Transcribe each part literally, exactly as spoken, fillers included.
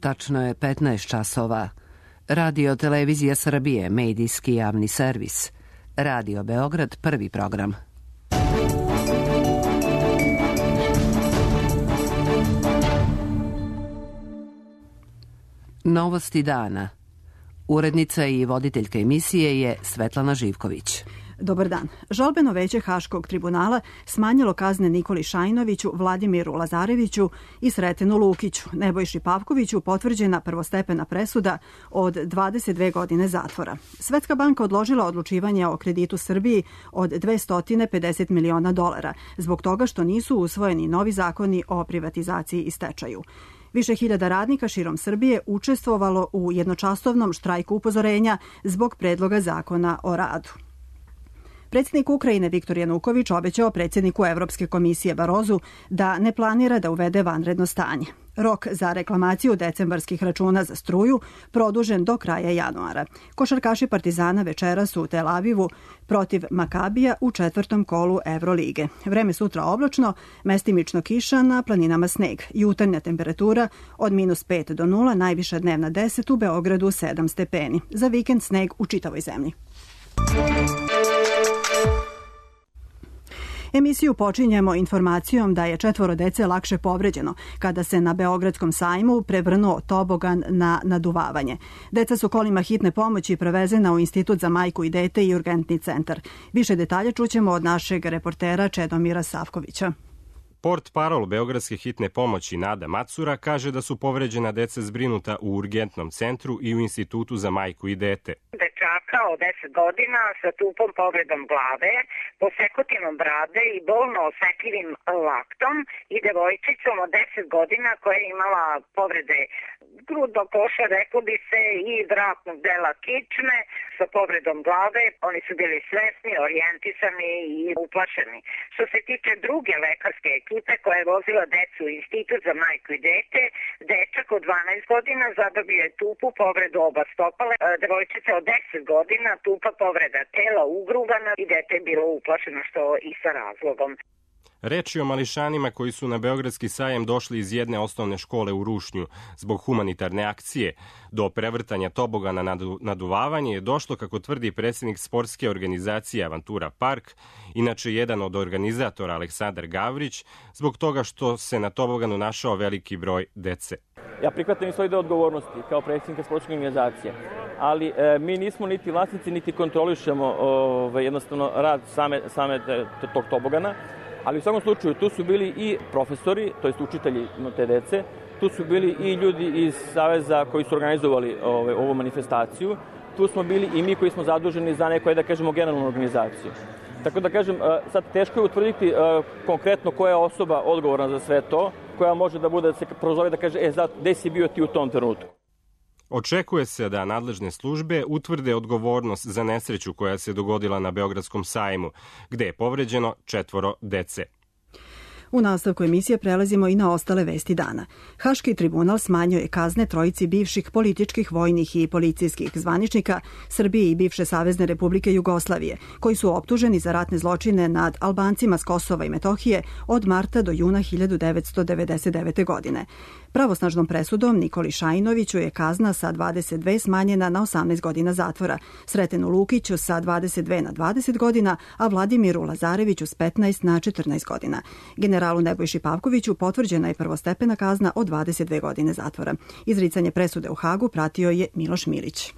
Tačno je petnaest časova. Radio Televizija Srbije, medijski javni servis. Radio Beograd, prvi program. Novosti dana. Urednica i voditeljka emisije je Svetlana Živković. Dobar dan. Žalbeno veće Haškog tribunala smanjilo kazne Nikoli Šajinoviću, Vladimiru Lazareviću i Sretenu Lukiću. Nebojši Pavkoviću potvrđena prvostepena presuda od dvadeset dve godine zatvora. Svetska banka odložila odlučivanje o kreditu Srbiji od dvesta pedeset miliona dolara zbog toga što nisu usvojeni novi zakoni o privatizaciji i stečaju. Više hiljada radnika širom Srbije učestvovalo u jednočasovnom štrajku upozorenja zbog predloga zakona o radu. Predsjednik Ukrajine Viktor Januković obećao predsjedniku Evropske komisije Barozu da ne planira da uvede vanredno stanje. Rok za reklamaciju decembarskih računa za struju produžen do kraja januara. Košarkaši Partizana večeras u Tel Avivu protiv Makabija u četvrtom kolu Evrolige. Vreme sutra oblačno, mestimično kiša, na planinama sneg. Jutarnja temperatura od minus pet do nula, najviša dnevna deset, u Beogradu sedam stepeni. Za vikend sneg u čitavoj zemlji. Emisiju počinjemo informacijom da je četvoro dece lakše povređeno kada se na Beogradskom sajmu prevrnuo tobogan na naduvavanje. Deca su kolima hitne pomoći prevezena u Institut za majku i dete i urgentni centar. Više detalja čućemo od našeg reportera Čedomira Savkovića. Port parol Beogradske hitne pomoći Nada Macura kaže da su povređena deca zbrinuta u urgentnom centru i u Institutu za majku i dete. Dečaka od deset godina sa tupom povredom glave, posekutinom brade i bolno osetljivim laktom i devojčicom od deset godina koja je imala povrede grudnog koša, reklo bi se, i vratnog dela kičme sa povredom glave. Oni su bili svesni, orijentisani i uplašeni. Što se tiče druge lekarske ekipe koja je vozila decu u Institut za majku i dete, dečak od dvanaest godina zadobio je tupu povredu oba stopala, devojčica od deset godina tupa povreda tela ugrugana i dete je bilo uplašeno, što i sa razlogom. Reč je o mališanima koji su na Beogradski sajem došli iz jedne osnovne škole u Rušnju. Zbog humanitarne akcije do prevrtanja tobogana na naduvavanje je došlo, kako tvrdi predsjednik sportske organizacije Avantura Park, inače jedan od organizatora Aleksandar Gavrić, zbog toga što se na toboganu našao veliki broj dece. Ja prihvatam i svoj deo odgovornosti kao predsjednika sportske organizacije, ali e, mi nismo niti vlasnici, niti kontrolišemo ove, jednostavno rad same, same tog tobogana. Ali u svakom slučaju tu su bili i profesori, to jest učitelji te dece, tu su bili i ljudi iz Saveza koji su organizovali ove, ovu manifestaciju, tu smo bili i mi koji smo zaduženi za neku, da kažemo, generalnu organizaciju. Tako da kažem, sad teško je utvrditi konkretno koja je osoba odgovorna za sve to, koja može da bude, da se prozove da kaže, e, zato, gde si bio ti u tom trenutku? Očekuje se da nadležne službe utvrde odgovornost za nesreću koja se dogodila na Beogradskom sajmu, gde je povređeno četvoro dece. U nastavku emisije prelazimo i na ostale vesti dana. Haški tribunal smanjio je kazne trojici bivših političkih, vojnih i policijskih zvaničnika Srbije i bivše Savezne Republike Jugoslavije, koji su optuženi za ratne zločine nad Albancima s Kosova i Metohije od marta do juna hiljadu devetsto devedeset devete. godine. Pravosnažnom presudom Nikoli Šajinoviću je kazna sa dvadeset dve smanjena na osamnaest godina zatvora, Sretenu Lukiću sa dvadeset dve na dvadeset godina, a Vladimiru Lazareviću s petnaest na četrnaest godina. Generalu Nebojši Pavkoviću potvrđena je prvostepena kazna od dvadeset dve godine zatvora. Izricanje presude u Hagu pratio je Miloš Milić.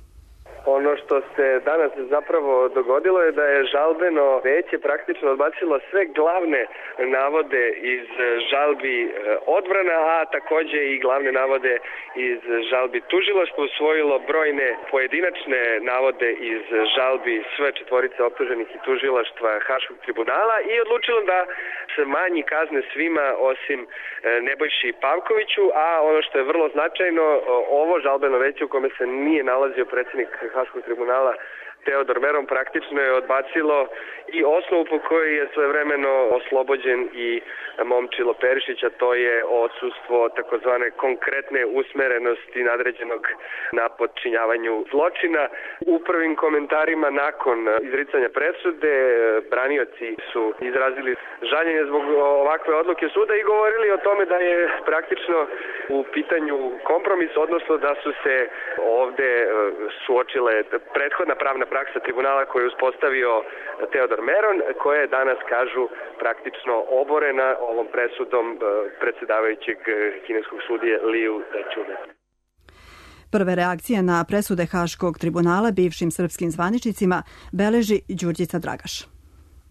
Ono što se danas zapravo dogodilo je da je žalbeno veće praktično odbacilo sve glavne navode iz žalbi odbrana, a takođe i glavne navode iz žalbi tužilaštva, usvojilo brojne pojedinačne navode iz žalbi sve četvorice optuženih i tužilaštva Haškog tribunala i odlučilo da se manji kazne svima osim Nebojši Pavkoviću, a ono što je vrlo značajno, ovo žalbeno veće u kome se nije nalazio predsjednik Haškog tribunala Teodor Meron praktično je odbacilo i osnovu po kojoj je svojevremeno oslobođen i Momčilo Perišić, a to je odsustvo takozvane konkretne usmerenosti nadređenog na podčinjavanju zločina. U prvim komentarima nakon izricanja presude branioci su izrazili žaljenje zbog ovakve odluke suda i govorili o tome da je praktično u pitanju kompromis, odnosno da su se ovde suočile prethodna pravna praksa tribunala koju je uspostavio Teodor Meron, koja je danas, kažu, praktično oborena ovom presudom predsedavajućeg kineskog sudije Liu Dečune. Prve reakcije na presude Haškog tribunala bivšim srpskim zvaničnicima beleži Đurđica Dragaš.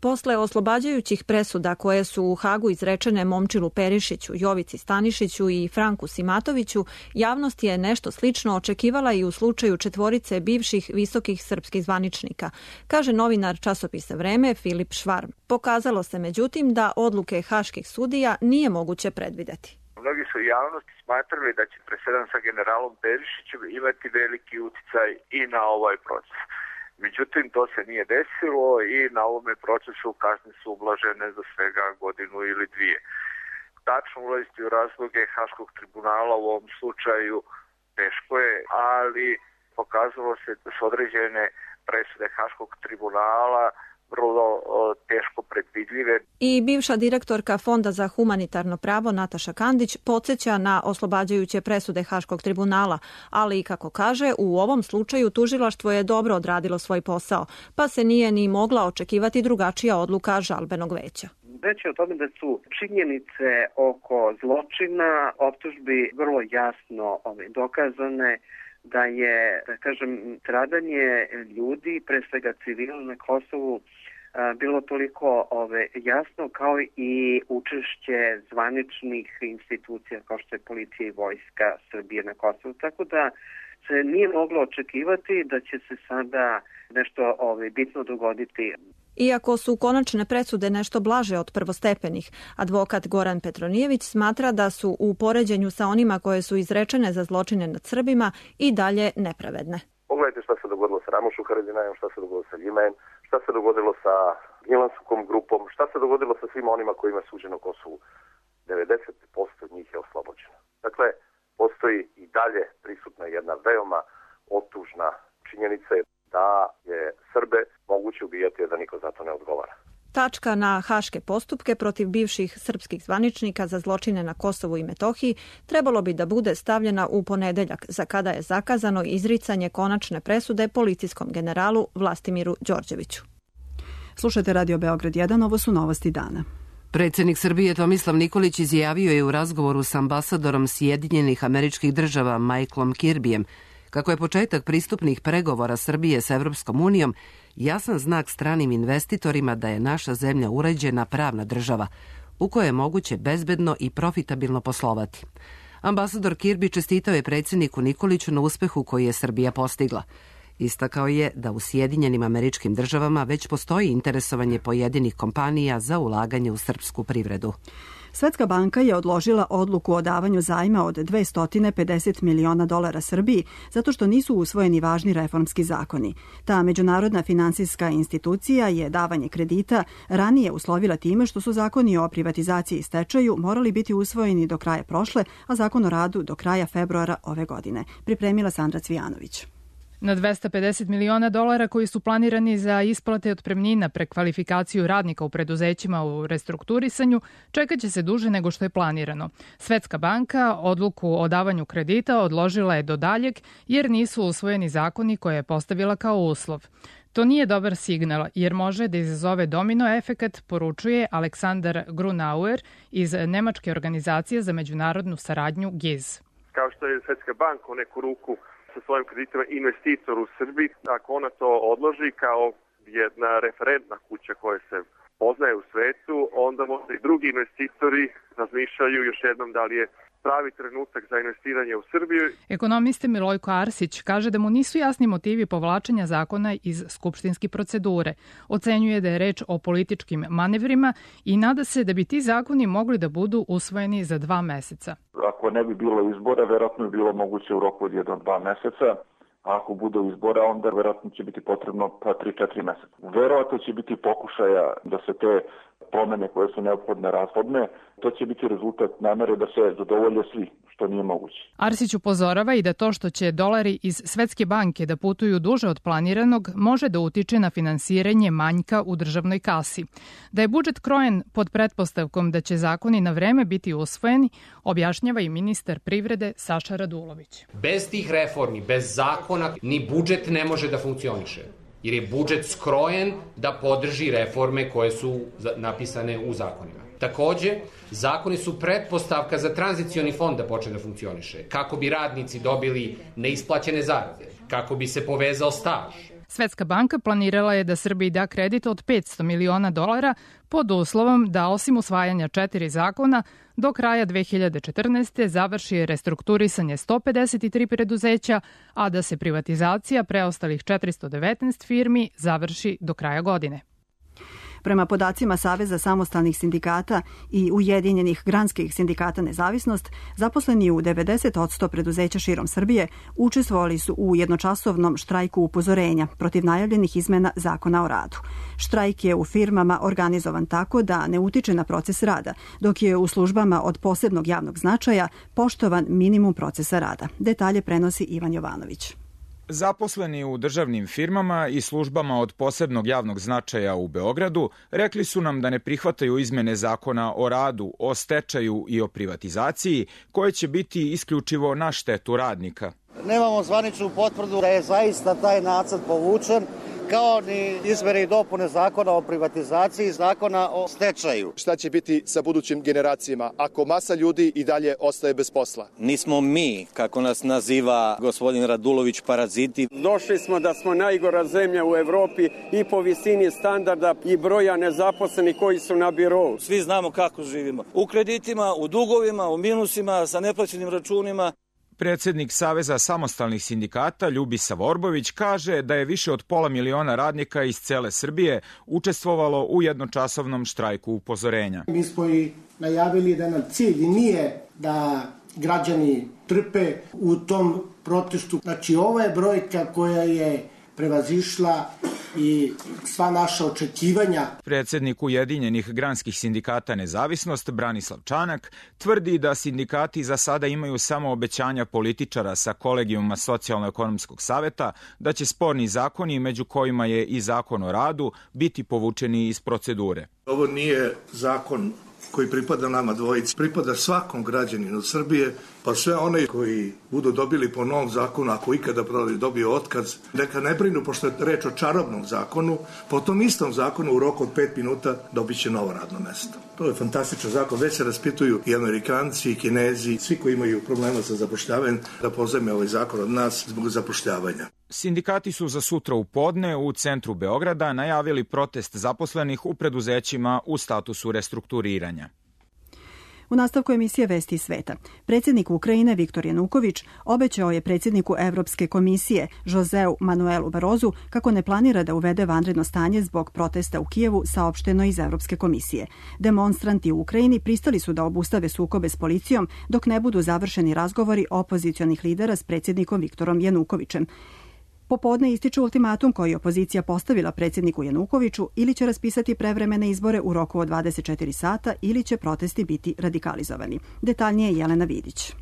Posle oslobađajućih presuda koje su u Hagu izrečene Momčilu Perišiću, Jovici Stanišiću i Franku Simatoviću, javnost je nešto slično očekivala i u slučaju četvorice bivših visokih srpskih zvaničnika, kaže novinar časopisa Vreme Filip Švarm. Pokazalo se međutim da odluke haških sudija nije moguće predvideti. Mnogi su javnosti smatrali da će presedan sa generalom Perišićem imati veliki uticaj i na ovaj proces. Međutim, to se nije desilo i na ovome procesu kazne su ublažene za svega godinu ili dvije. Tačno ulaziti u razloge Haškog tribunala u ovom slučaju teško je, ali pokazalo se da su određene presude Haškog tribunala vrlo teško predvidljive. I bivša direktorka Fonda za humanitarno pravo Nataša Kandić podsjeća na oslobađajuće presude Haškog tribunala, ali i kako kaže, u ovom slučaju tužilaštvo je dobro odradilo svoj posao, pa se nije ni mogla očekivati drugačija odluka žalbenog veća. Reći o tome da su činjenice oko zločina optužbi vrlo jasno ove, dokazane, da je, da kažem, stradanje ljudi, pre svega civila na Kosovu, bilo toliko ove, jasno kao i učešće zvaničnih institucija kao što je policija i vojska Srbije na Kosovu. Tako da se nije moglo očekivati da će se sada nešto ove, bitno dogoditi. Iako su konačne presude nešto blaže od prvostepenih, advokat Goran Petronijević smatra da su u poređenju sa onima koje su izrečene za zločine nad Srbima i dalje nepravedne. Pogledajte šta se dogodilo sa Ramušom Haradinajem, šta se dogodilo sa Ljimajem, šta se dogodilo sa Gnjilanskom grupom, šta se dogodilo sa svima onima kojima je suđeno Kosovu. devedeset posto njih je oslobođeno. Dakle, postoji i dalje prisutna jedna veoma otužna činjenica da je Srbe moguće ubijati, a da niko za to ne odgovara. Tačka na haške postupke protiv bivših srpskih zvaničnika za zločine na Kosovu i Metohiji trebalo bi da bude stavljena u ponedeljak, za kada je zakazano izricanje konačne presude policijskom generalu Vlastimiru Đorđeviću. Slušajte Radio Beograd jedan, ovo su novosti dana. Predsjednik Srbije Tomislav Nikolić izjavio je u razgovoru s ambasadorom Sjedinjenih Američkih Država Michaelom Kirbyjem kako je početak pristupnih pregovora Srbije sa Evropskom unijom jasan znak stranim investitorima da je naša zemlja uređena pravna država u kojoj je moguće bezbedno i profitabilno poslovati. Ambasador Kirby čestitao je predsjedniku Nikoliću na uspehu koji je Srbija postigla. Istakao je da u Sjedinjenim Američkim Državama već postoji interesovanje pojedinih kompanija za ulaganje u srpsku privredu. Svetska banka je odložila odluku o davanju zajma od dvesta pedeset miliona dolara Srbiji zato što nisu usvojeni važni reformski zakoni. Ta međunarodna finansijska institucija je davanje kredita ranije uslovila time što su zakoni o privatizaciji i stečaju morali biti usvojeni do kraja prošle, a zakon o radu do kraja februara ove godine. Pripremila Sandra Cvijanović. Na dvesta pedeset miliona dolara koji su planirani za isplate otpremnina, prekvalifikaciju radnika u preduzećima u restrukturisanju, čekat će se duže nego što je planirano. Svetska banka odluku o davanju kredita odložila je do daljeg jer nisu usvojeni zakoni koje je postavila kao uslov. To nije dobar signal jer može da izazove domino efekat, poručuje Aleksandar Grunauer iz Nemačke organizacije za međunarodnu saradnju G I Z. Kao što je Svetska banka u neku ruku sa svojim kreditima investitor u Srbiji, ako ona to odloži kao jedna referentna kuća koja se poznaje u svetu, onda možda i drugi investitori razmišljaju još jednom da li je pravi trenutak za investiranje u Srbiju. Ekonomista Milojko Arsić kaže da mu nisu jasni motivi povlačenja zakona iz skupštinske procedure. Ocenjuje da je reč o političkim manevrima i nada se da bi ti zakoni mogli da budu usvojeni za dva meseca. Ako ne bi bilo izbora, verovatno je bilo moguće u roku od jedno dva meseca. a ako bude izbora, onda verovatno će biti potrebno pa tri četiri meseca. Verovatno će biti pokušaja da se te promene koje su neophodne razhodne, to će biti rezultat namere da se zadovolje svi, što nije moguće. Arsić upozorava i da to što će dolari iz Svetske banke da putuju duže od planiranog može da utiče na finansiranje manjka u državnoj kasi. Da je budžet krojen pod pretpostavkom da će zakoni na vreme biti usvojeni, objašnjava i ministar privrede Saša Radulović. Bez tih reformi, bez zakona, ni budžet ne može da funkcioniše. Jer je budžet skrojen da podrži reforme koje su napisane u zakonima. Takođe, zakoni su pretpostavka za tranzicioni fond da počne da funkcioniše, kako bi radnici dobili neisplaćene zarade, kako bi se povezao staž. Svetska banka planirala je da Srbiji da kredit od petsto miliona dolara pod uslovom da osim usvajanja četiri zakona do kraja dve hiljade četrnaeste. završi restrukturisanje sto pedeset tri preduzeća, a da se privatizacija preostalih četiristo devetnaest firmi završi do kraja godine. Prema podacima Saveza samostalnih sindikata i Ujedinjenih granskih sindikata Nezavisnost, zaposleni u devedeset posto preduzeća širom Srbije učestvovali su u jednočasovnom štrajku upozorenja protiv najavljenih izmena Zakona o radu. Štrajk je u firmama organizovan tako da ne utiče na proces rada, dok je u službama od posebnog javnog značaja poštovan minimum procesa rada. Detalje prenosi Ivan Jovanović. Zaposleni u državnim firmama i službama od posebnog javnog značaja u Beogradu rekli su nam da ne prihvataju izmene Zakona o radu, o stečaju i o privatizaciji, koje će biti isključivo na štetu radnika. Nemamo zvaničnu potvrdu da je zaista taj nacrt povučen, kao ni izmene i dopune Zakona o privatizaciji i Zakona o stečaju. Šta će biti sa budućim generacijama ako masa ljudi i dalje ostaje bez posla? Nismo mi, kako nas naziva gospodin Radulović, paraziti. Došli smo da smo najgora zemlja u Evropi i po visini standarda i broja nezaposlenih koji su na birou. Svi znamo kako živimo. U kreditima, u dugovima, u minusima, sa neplaćenim računima. Predsednik Saveza samostalnih sindikata Ljubisa Vorbović kaže da je više od pola miliona radnika iz cele Srbije učestvovalo u jednočasovnom štrajku upozorenja. Mi smo i najavili da nam cilj nije da građani trpe u tom protestu. Znači, ovo je brojka koja je prevazišla i sva naša očekivanja. Predsednik Ujedinjenih granskih sindikata Nezavisnost Branislav Čanak tvrdi da sindikati za sada imaju samo obećanja političara sa kolegijuma Socijalno-ekonomskog saveta da će sporni zakoni, među kojima je i Zakon o radu, biti povučeni iz procedure. Ovo nije zakon koji pripada nama dvojici, pripada svakom građaninu Srbije, pa sve one koji budu dobili po novom zakonu, ako ikada dobiju otkaz, neka ne brinu, pošto je reč o čarobnom zakonu, po tom istom zakonu u roku od pet minuta dobit će novo radno mesto. To je fantastičan zakon, već se raspituju i Amerikanci, i Kinezi, svi koji imaju problema sa zapošljavanjem, da pozajme ovaj zakon od nas zbog zapošljavanja. Sindikati su za sutra u podne u centru Beograda najavili protest zaposlenih u preduzećima u statusu restrukturiranja. U nastavku emisije Vesti iz sveta, predsjednik Ukrajine Viktor Januković obećao je predsjedniku Evropske komisije Joseu Manuelu Barozu kako ne planira da uvede vanredno stanje zbog protesta u Kijevu, saopšteno iz Evropske komisije. Demonstranti u Ukrajini pristali su da obustave sukobe s policijom dok ne budu završeni razgovori opozicionih lidera s predsjednikom Viktorom Janukovićem. Popodne ističe ultimatum koji je opozicija postavila predsjedniku Janukoviću: ili će raspisati prevremene izbore u roku od dvadeset četiri sata ili će protesti biti radikalizovani. Detaljnije Jelena Vidić.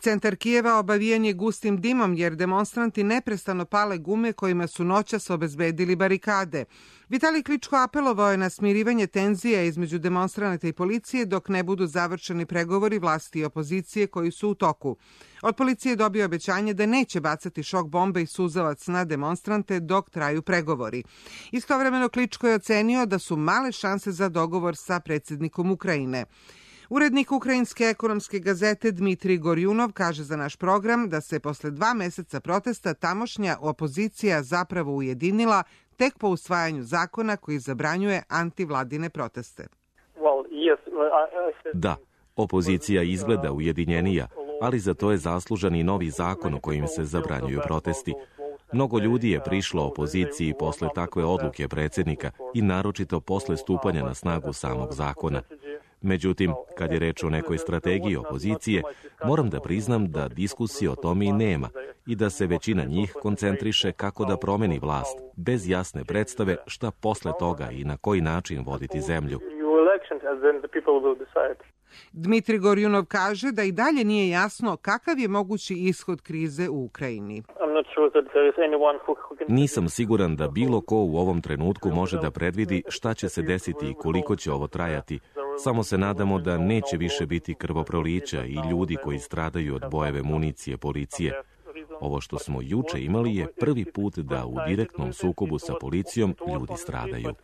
Centar Kijeva obavijen je gustim dimom jer demonstranti neprestano pale gume kojima su noćas obezbedili barikade. Vitalij Kličko apelovao je na smirivanje tenzija između demonstranata i policije dok ne budu završeni pregovori vlasti i opozicije koji su u toku. Od policije je dobio obećanje da neće bacati šok bombe i suzavac na demonstrante dok traju pregovori. Istovremeno Kličko je ocenio da su male šanse za dogovor sa predsjednikom Ukrajine. Urednik Ukrajinske ekonomske gazete Dmitrij Gorjunov kaže za naš program da se posle dva meseca protesta tamošnja opozicija zapravo ujedinila tek po usvajanju zakona koji zabranjuje antivladine proteste. Da, opozicija izgleda ujedinjenija, ali za to je zaslužan i novi zakon u kojim se zabranjuju protesti. Mnogo ljudi je prišlo opoziciji posle takve odluke predsjednika i naročito posle stupanja na snagu samog zakona. Međutim, kad je reč o nekoj strategiji opozicije, moram da priznam da diskusije o tome i nema i da se većina njih koncentriše kako da promeni vlast, bez jasne predstave šta posle toga i na koji način voditi zemlju. Dmitri Gorjunov kaže da i dalje nije jasno kakav je mogući ishod krize u Ukrajini. Nisam siguran da bilo ko u ovom trenutku može da predvidi šta će se desiti i koliko će ovo trajati. Samo se nadamo da neće više biti krvoprolića i ljudi koji stradaju od bojeve municije policije. Ovo što smo juče imali je prvi put da u direktnom sukobu sa policijom ljudi stradaju.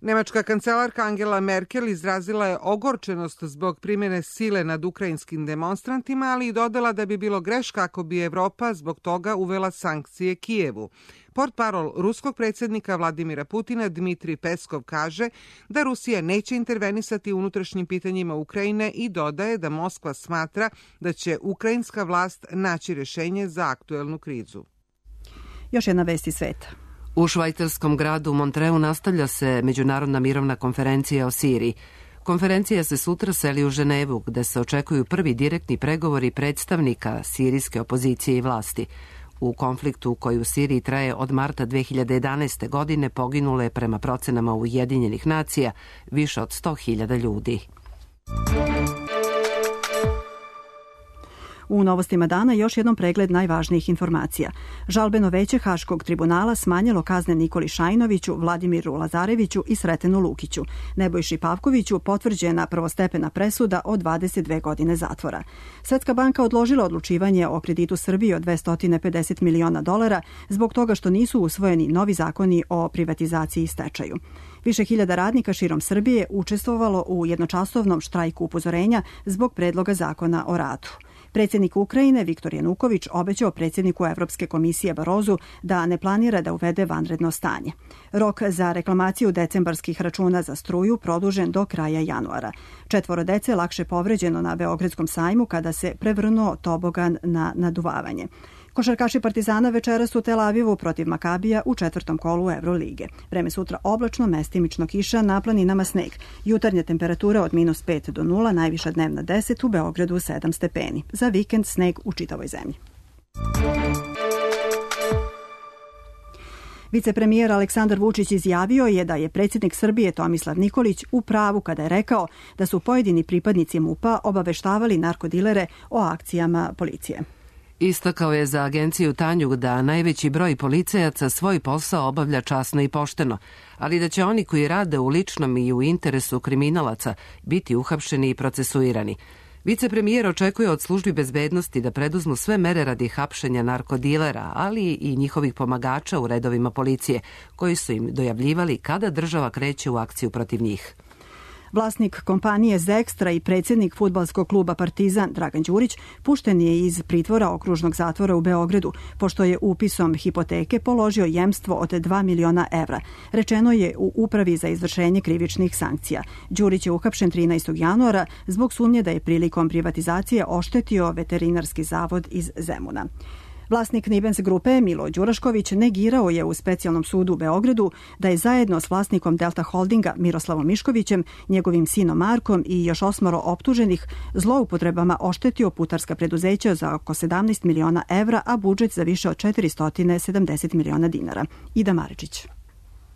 Nemačka kancelarka Angela Merkel izrazila je ogorčenost zbog primjene sile nad ukrajinskim demonstrantima, ali i dodala da bi bilo greška ako bi Evropa zbog toga uvela sankcije Kijevu. Portparol ruskog predsjednika Vladimira Putina Dmitri Peskov kaže da Rusija neće intervenisati u unutrašnjim pitanjima Ukrajine i dodaje da Moskva smatra da će ukrajinska vlast naći rješenje za aktuelnu krizu. Još jedna vest iz sveta. U švajcarskom gradu Montreu nastavlja se Međunarodna mirovna konferencija o Siriji. Konferencija se sutra seli u Ženevu, gde se očekuju prvi direktni pregovori predstavnika sirijske opozicije i vlasti. U konfliktu koji u Siriji traje od marta dve hiljade jedanaeste. godine poginulo je prema procenama Ujedinjenih nacija više od sto hiljada ljudi. U novostima dana još jednom pregled najvažnijih informacija. Žalbeno veće Haškog tribunala smanjilo kazne Nikoli Šajnoviću, Vladimiru Lazareviću i Sretenu Lukiću. Nebojši Pavkoviću potvrđena prvostepena presuda od dvadeset dve godine zatvora. Svetska banka odložila odlučivanje o kreditu Srbije od dvesta pedeset miliona dolara zbog toga što nisu usvojeni novi zakoni o privatizaciji i stečaju. Više hiljada radnika širom Srbije učestvovalo u jednočasovnom štrajku upozorenja zbog predloga zakona o radu. Predsjednik Ukrajine Viktor Januković obećao predsjedniku Evropske komisije Barozu da ne planira da uvede vanredno stanje. Rok za reklamaciju decembarskih računa za struju produžen do kraja januara. Četvoro dece lakše povređeno na Beogradskom sajmu kada se prevrnuo tobogan na naduvavanje. Košarkaši Partizana večeras u Tel Avivu protiv Makabija u četvrtom kolu Evrolige. Vreme sutra oblačno, mestimično kiša, na planinama sneg. Jutarnja temperatura od minus pet do nula, najviša dnevna deset, u Beogradu sedam stepeni. Za vikend sneg u čitavoj zemlji. Vicepremijer Aleksandar Vučić izjavio je da je predsjednik Srbije Tomislav Nikolić u pravu kada je rekao da su pojedini pripadnici MUP-a obaveštavali narkodilere o akcijama policije. Istakao je za agenciju Tanjug da najveći broj policajaca svoj posao obavlja časno i pošteno, ali da će oni koji rade u ličnom i u interesu kriminalaca biti uhapšeni i procesuirani. Vicepremijer očekuje od službi bezbednosti da preduzmu sve mere radi hapšenja narkodilera, ali i njihovih pomagača u redovima policije, koji su im dojavljivali kada država kreće u akciju protiv njih. Vlasnik kompanije Zekstra i predsjednik fudbalskog kluba Partizan Dragan Đurić pušten je iz pritvora okružnog zatvora u Beogradu, pošto je upisom hipoteke položio jemstvo od dva miliona evra. Rečeno je u Upravi za izvršenje krivičnih sankcija. Đurić je uhapšen trinaestog januara zbog sumnje da je prilikom privatizacije oštetio veterinarski zavod iz Zemuna. Vlasnik Nibens grupe Milo Đurašković negirao je u specijalnom sudu u Beogradu da je zajedno s vlasnikom Delta Holdinga Miroslavom Miškovićem, njegovim sinom Markom i još osmoro optuženih zloupotrebama oštetio putarska preduzeća za oko sedamnaest miliona evra, a budžet za više od četiristo sedamdeset miliona dinara. Ida Maričić.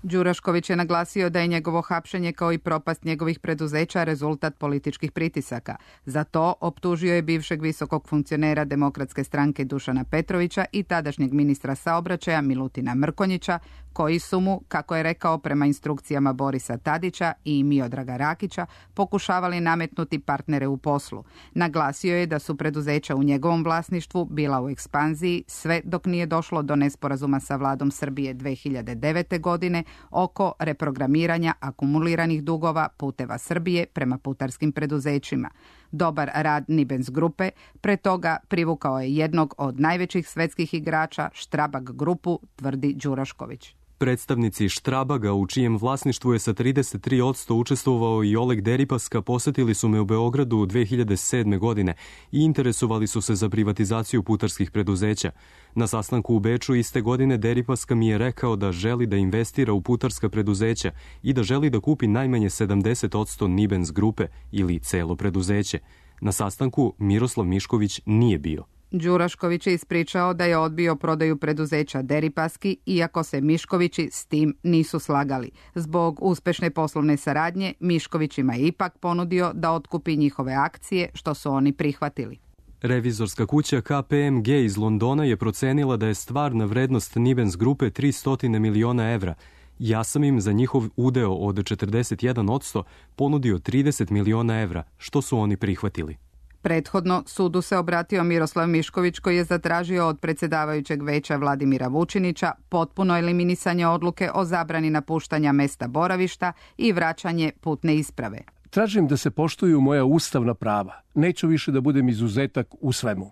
Đurašković je naglasio da je njegovo hapšenje kao i propast njegovih preduzeća rezultat političkih pritisaka. Za to optužio je bivšeg visokog funkcionera Demokratske stranke Dušana Petrovića i tadašnjeg ministra saobraćaja Milutina Mrkonjića, koji su mu, kako je rekao prema instrukcijama Borisa Tadića i Miodraga Rakića, pokušavali nametnuti partnere u poslu. Naglasio je da su preduzeća u njegovom vlasništvu bila u ekspanziji sve dok nije došlo do nesporazuma sa vladom Srbije dve hiljade devete. godine oko reprogramiranja akumuliranih dugova Puteva Srbije prema putarskim preduzećima. Dobar rad Nibens grupe pre toga privukao je jednog od najvećih svetskih igrača, Strabag grupu, tvrdi Đurašković. Predstavnici Štrabaga, u čijem vlasništvu je sa trideset tri posto učestvovao i Oleg Deripaska, posetili su me u Beogradu dve hiljade sedme. godine i interesovali su se za privatizaciju putarskih preduzeća. Na sastanku u Beču iste godine Deripaska mi je rekao da želi da investira u putarska preduzeća i da želi da kupi najmanje sedamdeset posto Nibens grupe ili celo preduzeće. Na sastanku Miroslav Mišković nije bio. Đurašković je ispričao da je odbio prodaju preduzeća Deripaski, iako se Miškovići s tim nisu slagali. Zbog uspešne poslovne saradnje, Miškovićima je ipak ponudio da otkupi njihove akcije, što su oni prihvatili. Revizorska kuća K P M G iz Londona je procenila da je stvarna vrednost Nibens grupe tristo miliona evra. Ja sam im za njihov udeo od četrdeset jedan posto ponudio trideset miliona evra, što su oni prihvatili. Prethodno sudu se obratio Miroslav Mišković, koji je zatražio od predsjedavajućeg veća Vladimira Vučinića potpuno eliminisanje odluke o zabrani napuštanja mesta boravišta i vraćanje putne isprave. Tražim da se poštuju moja ustavna prava. Neću više da budem izuzetak u svemu.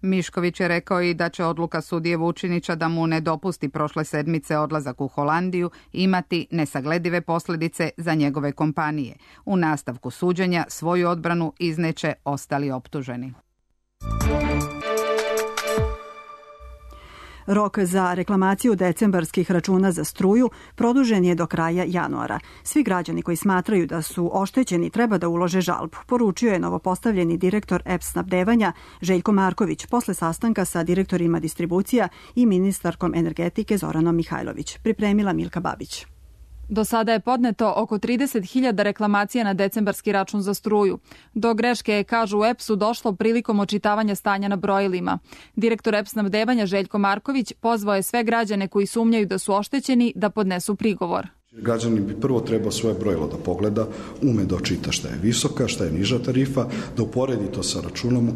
Mišković je rekao i da će odluka sudije Vučinića da mu ne dopusti prošle sedmice odlazak u Holandiju imati nesagledive posljedice za njegove kompanije. U nastavku suđenja svoju odbranu izneće ostali optuženi. Rok za reklamaciju decembarskih računa za struju produžen je do kraja januara. Svi građani koji smatraju da su oštećeni treba da ulože žalbu, poručio je novopostavljeni direktor E P S snabdevanja Željko Marković posle sastanka sa direktorima distribucija i ministarkom energetike Zoranom Mihajlović. Pripremila Milka Babić. Do sada je podneto oko trideset hiljada reklamacija na decembarski račun za struju. Do greške, kažu u E P S-u, došlo prilikom očitavanja stanja na brojilima. Direktor E P S snabdevanja Željko Marković pozvao je sve građane koji sumnjaju da su oštećeni da podnesu prigovor. Građanin bi prvo trebao svoje brojilo da pogleda, ume da očita šta je visoka, šta je niža tarifa, da uporedi to sa računom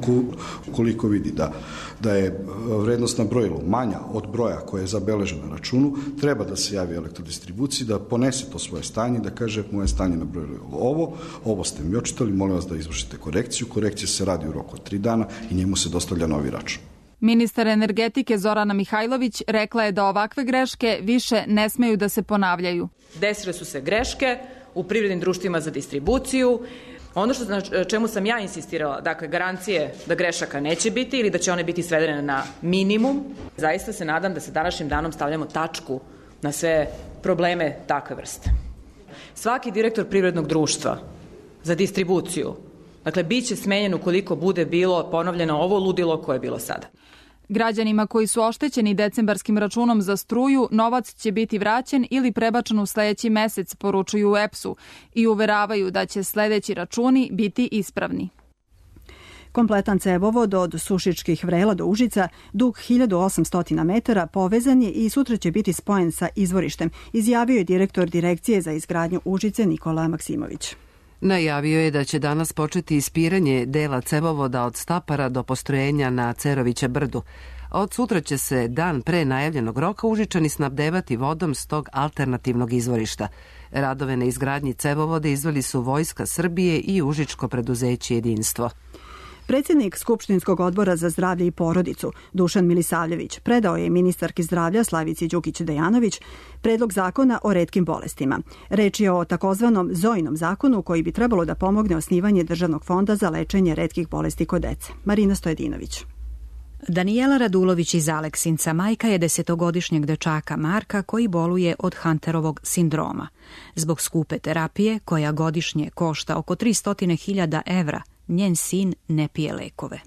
ukoliko vidi da, da je vrednost na brojilu manja od broja koje je zabeležen na računu, treba da se javi elektrodistribuciji, da ponese to svoje stanje, da kaže moje stanje na brojilu je ovo, ovo ste mi očitali, molim vas da izvršite korekciju, korekcija se radi u roku od tri dana i njemu se dostavlja novi račun. Ministar energetike Zorana Mihajlović rekla je da ovakve greške više ne smeju da se ponavljaju. Desile su se greške u privrednim društvima za distribuciju. Ono što, na čemu sam ja insistirala, dakle garancije da grešaka neće biti ili da će one biti svedene na minimum. Zaista se nadam da se današnjim danom stavljamo tačku na sve probleme takve vrste. Svaki direktor privrednog društva za distribuciju, dakle, bit će smenjen ukoliko bude bilo ponovljeno ovo ludilo koje je bilo sada. Građanima koji su oštećeni decembarskim računom za struju, novac će biti vraćen ili prebačen u sledeći mesec, poručuju u E P S-u i uveravaju da će sledeći računi biti ispravni. Kompletan cevovod od Sušičkih Vrela do Užica, dug hiljadu osamsto metara, povezan je i sutra će biti spojen sa izvorištem, izjavio je direktor Direkcije za izgradnju Užice Nikola Maksimović. Najavio je da će danas početi ispiranje dela cevovoda od Stapara do postrojenja na Cerovića brdu. Od sutra će se dan pre najavljenog roka Užičani snabdevati vodom s tog alternativnog izvorišta. Radove na izgradnji cevovode izveli su Vojska Srbije i Užičko preduzeće Jedinstvo. Predsjednik Skupštinskog odbora za zdravlje i porodicu Dušan Milisavljević predao je ministarki zdravlja Slavici Đukić-Dejanović predlog zakona o retkim bolestima. Reč je o takozvanom Zojinom zakonu koji bi trebalo da pomogne osnivanje Državnog fonda za lečenje retkih bolesti kod dece. Marina Stojedinović. Danijela Radulović iz Aleksinca majka je desetogodišnjeg dečaka Marka koji boluje od Hunterovog sindroma. Zbog skupe terapije, koja godišnje košta oko tristo hiljada evra, njen sin ne pije lekove.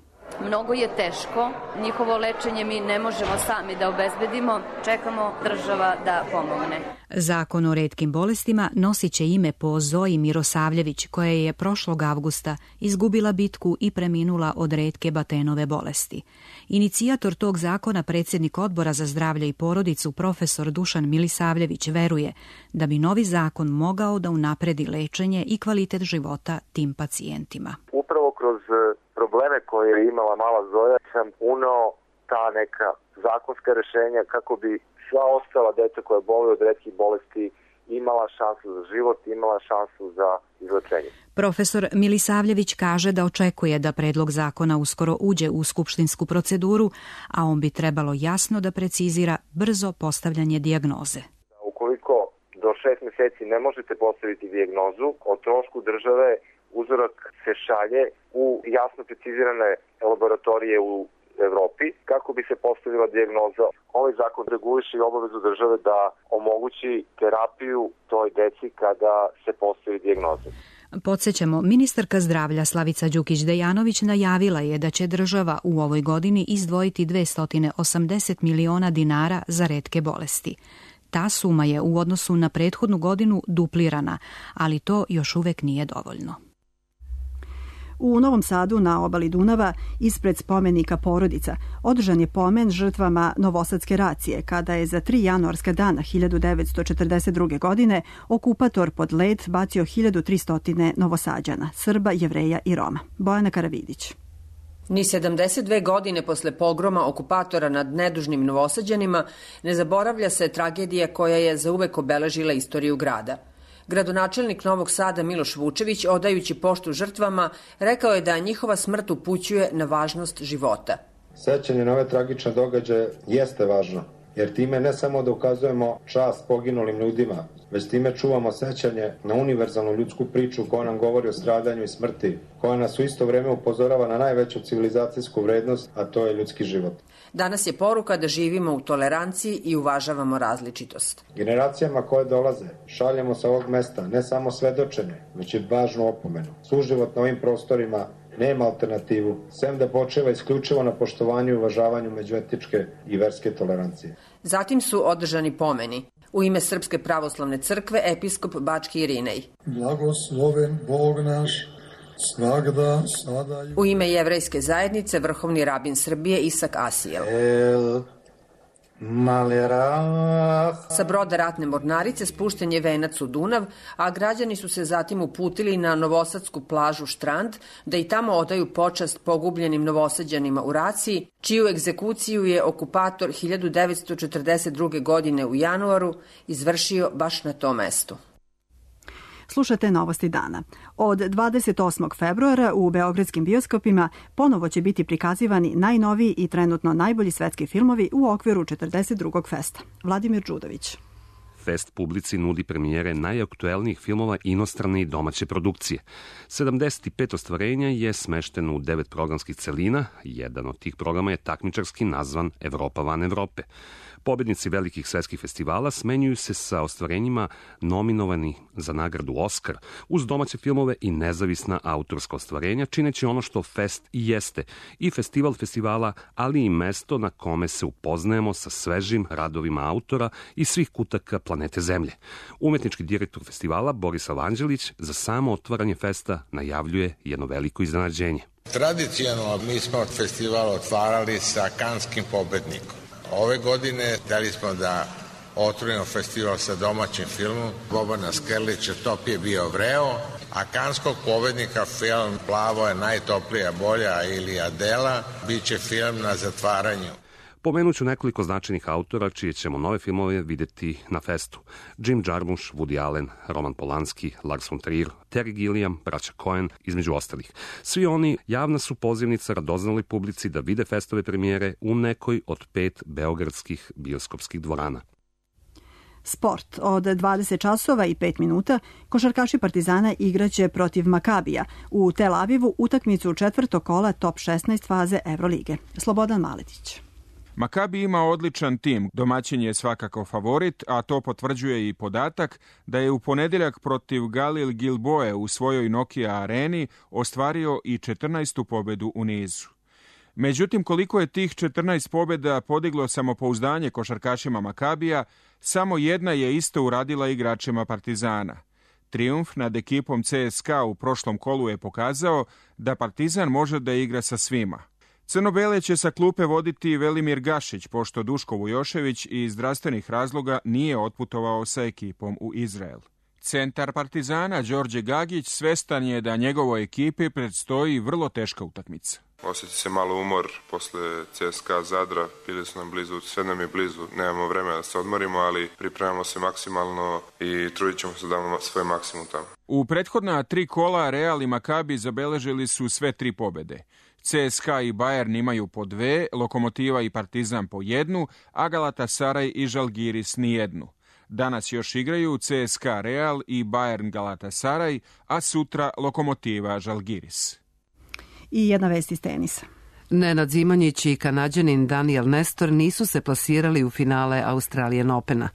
Mnogo je teško, njihovo lečenje mi ne možemo sami da obezbedimo, čekamo država da pomogne. Zakon o retkim bolestima nosit će ime po Zoji Mirosavljević, koja je prošlog avgusta izgubila bitku i preminula od retke batenove bolesti. Inicijator tog zakona, predsjednik Odbora za zdravlje i porodicu, profesor Dušan Milisavljević, veruje da bi novi zakon mogao da unapredi lečenje i kvalitet života tim pacijentima. Upravo kroz probleme koje je imala mala Zoja sam uneo ta neka zakonska rešenja kako bi sva ostala deca koja boluju od retkih bolesti imala šansu za život, imala šansu za izlečenje. Profesor Milisavljević kaže da očekuje da predlog zakona uskoro uđe u skupštinsku proceduru, a on bi trebalo jasno da precizira brzo postavljanje dijagnoze. U do šest meseci ne možete postaviti dijagnozu, o trošku države uzorak se šalje u jasno precizirane laboratorije u Evropi kako bi se postavila dijagnoza. Ovaj zakon reguliše i obavezu države da omogući terapiju toj deci kada se postavi dijagnoza. Podsjećamo, ministarka zdravlja Slavica Đukić-Dejanović najavila je da će država u ovoj godini izdvojiti dvesta osamdeset miliona dinara za retke bolesti. Ta suma je u odnosu na prethodnu godinu duplirana, ali to još uvek nije dovoljno. U Novom Sadu na obali Dunava, ispred spomenika Porodica, održan je pomen žrtvama Novosadske racije, kada je za tri januarska dana hiljadu devetsto četrdeset druge. godine okupator pod led bacio hiljadu tristo Novosađana, Srba, Jevreja i Roma. Bojana Karavidić. Ni sedamdeset dve godine posle pogroma okupatora nad nedužnim Novosađanima ne zaboravlja se tragedija koja je zauvek obeležila istoriju grada. Gradonačelnik Novog Sada Miloš Vučević, odajući poštu žrtvama, rekao je da njihova smrt upućuje na važnost života. Sećanje na ove tragične događaje jeste važno, jer time ne samo da ukazujemo čast poginulim ljudima, već time čuvamo sećanje na univerzalnu ljudsku priču koja nam govori o stradanju i smrti, koja nas u isto vreme upozorava na najveću civilizacijsku vrednost, a to je ljudski život. Danas je poruka da živimo u toleranciji i uvažavamo različitost. Generacijama koje dolaze šaljemo sa ovog mesta ne samo svedočenje, već i važnu opomenu. Suživot na ovim prostorima nema alternativu, sem da počeva isključivo na poštovanju i uvažavanju međuetičke i verske tolerancije. Zatim su održani pomeni. U ime Srpske pravoslavne crkve episkop Bački Irinej. Blagosloven Bog naš, svagda, sada i... U ime Jevrejske zajednice vrhovni rabin Srbije Isak Asijel. El... Malerah. Sa broda ratne mornarice spušten je venac u Dunav, a građani su se zatim uputili na novosadsku plažu Štrand da i tamo odaju počast pogubljenim Novosađanima u raciji, čiju egzekuciju je okupator hiljadu devetsto četrdeset druge. godine u januaru izvršio baš na tom mestu. Slušate Novosti dana. Od dvadeset osmog februara u beogradskim bioskopima ponovo će biti prikazivani najnoviji i trenutno najbolji svetski filmovi u okviru četrdeset drugog festa. Vladimir Đudović. Fest publici nudi premijere najaktuelnijih filmova inostrane i domaće produkcije. sedamdeset pet ostvarenja je smešteno u devet programskih celina. Jedan od tih programa je takmičarski nazvan Evropa van Evrope. Pobednici velikih svetskih festivala smenjuju se sa ostvarenjima nominovanih za nagradu Oskar uz domaće filmove i nezavisna autorska ostvarenja, čineći ono što Fest i jeste, i festival festivala, ali i mesto na kome se upoznajemo sa svežim radovima autora i svih kutaka planete Zemlje. Umetnički direktor festivala Boris Avanđelić za samo otvaranje festa najavljuje jedno veliko iznenađenje. Tradicionalno mi smo festival otvarali sa kanskim pobednikom. Ove godine hteli smo da otvorimo festival sa domaćim filmom Bobana Skerlića Top je bio vreo, a kanskog pobednika film Plavo je najtoplija bolja ili Adela bit će film na zatvaranju. Pomenut ću nekoliko značajnih autora čije ćemo nove filmove videti na festu. Jim Jarmusch, Woody Allen, Roman Polanski, Lars von Trier, Terry Gilliam, braća Coen, između ostalih. Svi oni javna su pozivnica radoznaloj publici da vide festove premijere u nekoj od pet beogradskih bioskopskih dvorana. Sport. Od dvadeset časova i pet minuta košarkaši Partizana igraće protiv Makabija u Tel Avivu utakmicu četvrtog kola top šesnaest faze Evrolige. Slobodan Maletić. Makabi ima odličan tim, domaćin je svakako favorit, a to potvrđuje i podatak da je u ponedjeljak protiv Galil Gilboe u svojoj Nokia areni ostvario i četrnaestu pobedu u nizu. Međutim, koliko je tih četrnaest pobjeda podiglo samopouzdanje košarkašima Makabija, samo jedna je isto uradila igračima Partizana. Trijumf nad ekipom C S K A u prošlom kolu je pokazao da Partizan može da igra sa svima. Crno-bele će sa klupe voditi Velimir Gašić, pošto Duško Vujošević iz zdravstvenih razloga nije otputovao sa ekipom u Izrael. Centar Partizana, Đorđe Gagić, svestan je da njegovoj ekipi predstoji vrlo teška utakmica. Osjeti se malo umor posle C S K A Zadra, bili su nam blizu, sve nam je blizu, nemamo vremena da se odmorimo, ali pripremamo se maksimalno i trudit ćemo se da damo svoj maksimum tamo. U prethodna tri kola Real i Makabi zabeležili su sve tri pobede. C S K A i Bayern imaju po dve, Lokomotiva i Partizan po jednu, a Galatasaraj i Žalgiris nijednu. Danas još igraju C S K A Real i Bayern Galatasaray, a sutra Lokomotiva Žalgiris. I jedna vest iz tenisa. Nenad Zimonjić i Kanađanin Daniel Nestor nisu se plasirali u finale Australian Opena.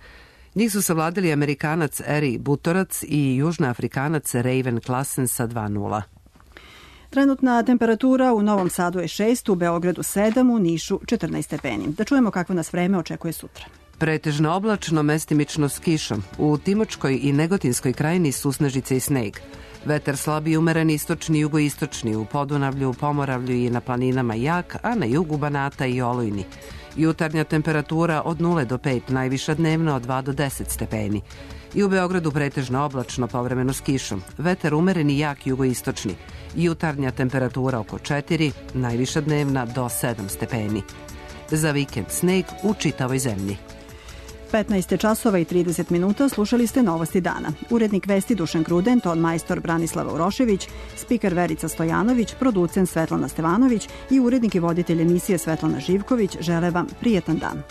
Njih su savladali Amerikanac Eri Butorac i Južnoafrikanac Raven Klassen sa dva nula. Trenutna temperatura u Novom Sadu je šest, u Beogradu sedam, u Nišu četrnaest stepeni. Da čujemo kakvo nas vreme očekuje sutra. Pretežno oblačno, mestimično s kišom. U Timočkoj i Negotinskoj krajini susnežice i sneg. Vetar slab i umeren istočni i jugoistočni, u Podunavlju, Pomoravlju i na planinama jak, a na jugu Banata i Olujni. Jutarnja temperatura od nula do pet, najviša dnevno od dva do deset stepeni. I u Beogradu pretežno oblačno, povremeno s kišom. Vetar umeren i jak jugoistočni. Jutarnja temperatura oko četiri, najviša dnevna do sedam stepeni. Za vikend sneg u čitavoj zemlji. petnaest časova i trideset minuta, slušali ste Novosti dana. Urednik vesti Dušan Gruden, ton majstor Branislava Urošević, spiker Verica Stojanović, producent Svetlana Stevanović i urednik i voditelj emisije Svetlana Živković žele vam prijetan dan.